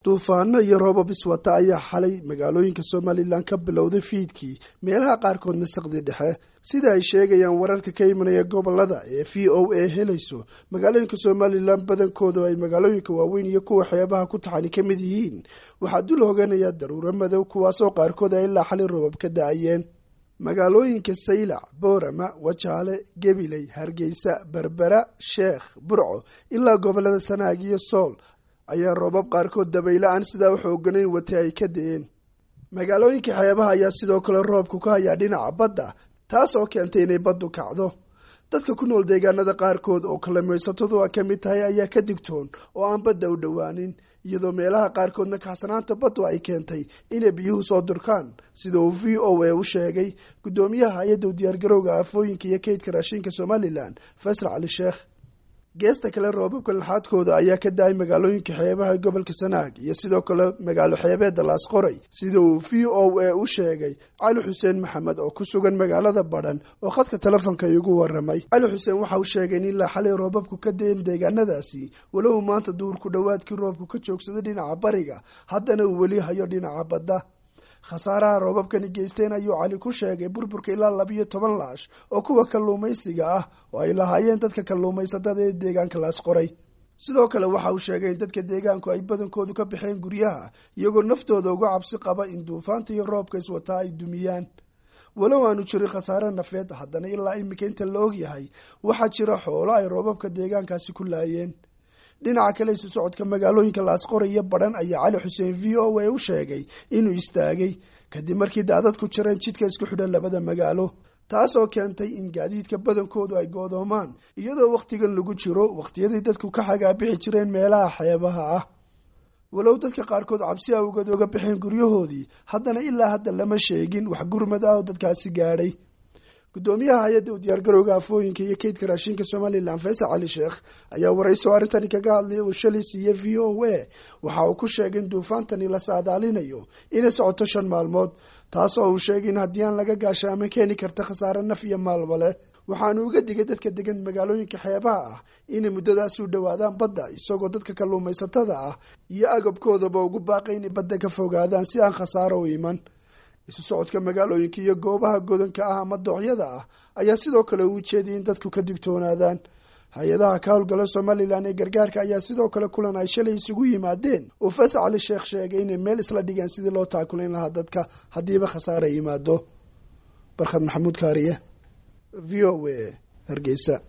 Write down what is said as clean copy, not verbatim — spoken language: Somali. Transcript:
Duufaano iyo roobab iswata ayaa xalay magaalooyinka Somalilan ka bilowday fiidkii, meelaha qaarkoodna saqdi dhexe. Sida ay sheegayaan wararka ka imanaya gobolada ee VOA helayso, magaalooyinka Somalilan badankooda ay magaalooyinka waaweyn iyo kuwa xeebaha ku taxani ka mid yihiin waxaa dul hoganaya daruuro madow, kuwaasoo qaarkood ay ilaa xalay roobab ka da-ayeen. Magaalooyinka Saylac, Boorama, Wajaale, Gabiley, Hargeysa, Berbera, Sheekh, Burco ilaa gobolada Sanaag iyo Sool ayaa roobab qaarkood dabaylo aan sidaa u xooganayn watay ay ka da-een. Magaalooyinka xeebaha ayaa sidoo kale roobku ka hayaa dhinaca badda, taas oo keentay inay baddu kacdo. Dadka ku nool deegaanada qaarkood oo kalluumaysatadu ka mid tahay ayaa ka digtoon oo aan badda u dhowaanin, iyadoo meelaha qaarkoodna kaxsanaanta baddu ay keentay inay biyuhu soo durkaan, sida uu VOA u sheegay guddoomiyaha hay-adda u diyaargarowga aafooyinka iyo kaydka raashinka Somalilan, Faysal Cali Sheekh. Geesta kale, roobabka laxaadkooda ayaa ka da-ay magaalooyinka xeebaha gobolka Sanaag iyo sidoo kale magaalo xeebeedda Laasqoray, sida uu VOA u sheegay Cali Xuseen Maxamed oo ku sugan magaalada Badhan oo khadka telefoonka igu waramay. Cali Xuseen waxa uu sheegay in ilaa xalay roobabku ka da-een deegaanadaasi, walow maanta duhurku dhowaadkii roobku ka joogsaday dhinaca bariga, haddana uu weli hayo dhinaca badda. Khasaaraha roobabkani geysteen ayuu Cali ku sheegay burburka ilaa 12 laash oo kuwa kalluumaysiga ah oo ay lahaayeen dadka kalluumaysatada ee deegaanka Laasqoray. Sidoo kale waxa uu sheegay in dadka deegaanku ay badankoodu ka baxeen guryaha, iyagoo naftooda uga cabsi qaba in duufaanta iyo roobka iswataa ay dumiyaan. Walow aanu jirin khasaare nafeed, haddana ilaa iminka inta la og yahay waxaa jira xoolo ay roobabka deegaankaasi ku laayeen. Dhinaca kale, isu socodka magaalooyinka Laasqoray iyo Badhan ayaa Cali Xuseen VOA u sheegay inuu istaagay kadib markii daadadku jireen jidka isku xidhan labada magaalo, taasoo keentay in gaadiidka badankoodu ay go'doomaan, iyadoo wakhtigan lagu jiro wakhtiyadii dadku ka xagaabixi jireen meelaha xeebaha ah. Walow dadka qaarkood cabsi awgeed uga baxeen guryahoodii, haddana ilaa hadda lama sheegin wax gurmad ah oo dadkaasi gaadhay. Guddoomiyaha hay-adda u diyaargarowga aafooyinka iyo kaydka raashinka Somalilan, Faysal Cali Sheekh, ayaa warayso arrintani kaga hadlayay uu shalay siiyey VOA. Waxa uu ku sheegay in duufaantani la saadaalinayo inay socoto 5 maalmood, taas oo uu sheegay in haddii aan laga gaashaamin keeni karta khasaare naf iyo maalba leh. Waxaanu uga digay dadka degan magaalooyinka xeebaha ah inay muddadaasi u dhowaadaan badda, isagoo dadka kalluumaysatada ah iyo agabkoodaba ugu baaqay inay badda ka fogaadaan si aan khasaaro u iman. Isu socodka magaalooyinka iyo goobaha godanka ah ama dooxyada ah ayaa sidoo kale uu jeediyay in dadku ka digtoonaadaan. Hay-adaha ka howlgala Somalilan ee gargaarka ayaa sidoo kale kulan ay shalay isugu yimaadeen uu Faysal Cali Sheekh sheegay inay meel isla dhigeen sidii loo taakulayn lahaa dadka haddiiba khasaare yimaado. Barkhad Maxamuud Kaariye, VOA, Hargeysa.